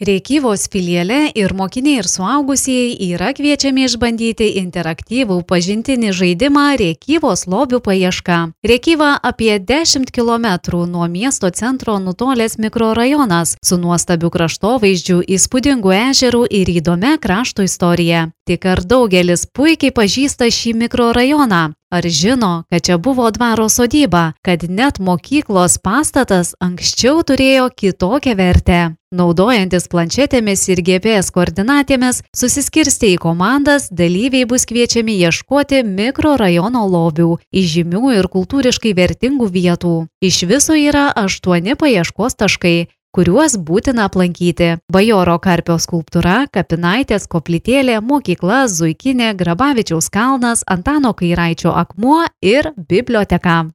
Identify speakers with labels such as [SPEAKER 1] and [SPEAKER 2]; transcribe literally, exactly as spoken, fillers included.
[SPEAKER 1] Rėkyvos filiale ir mokiniai ir suaugusieji yra kviečiami išbandyti interaktyvų pažintinį žaidimą Rėkyvos lobių paieška. Rėkyva apie dešimt kilometrų nuo miesto centro nutolęs mikrorajonas su nuostabiu kraštovaizdžiu, įspūdingu ežeru ir įdomia krašto istorija. Tik ar daugelis puikiai pažįsta šį mikrorajoną? Ar žino, kad čia buvo dvaro sodyba, kad net mokyklos pastatas anksčiau turėjo kitokią vertę? Naudojantis planšetėmis ir G P S koordinatėmis, susiskirstę į komandas, dalyviai bus kviečiami ieškoti mikrorajono lobių, įžymių ir kultūriškai vertingų vietų. Iš viso yra aštuoni paieškos taškai, kuriuos būtina aplankyti. Bajoro Karpio skulptūra, Kapinaitės koplytėlė, mokykla, Zuikinė, Grabavičiaus kalnas, Antano Kairaičio akmuo ir biblioteka.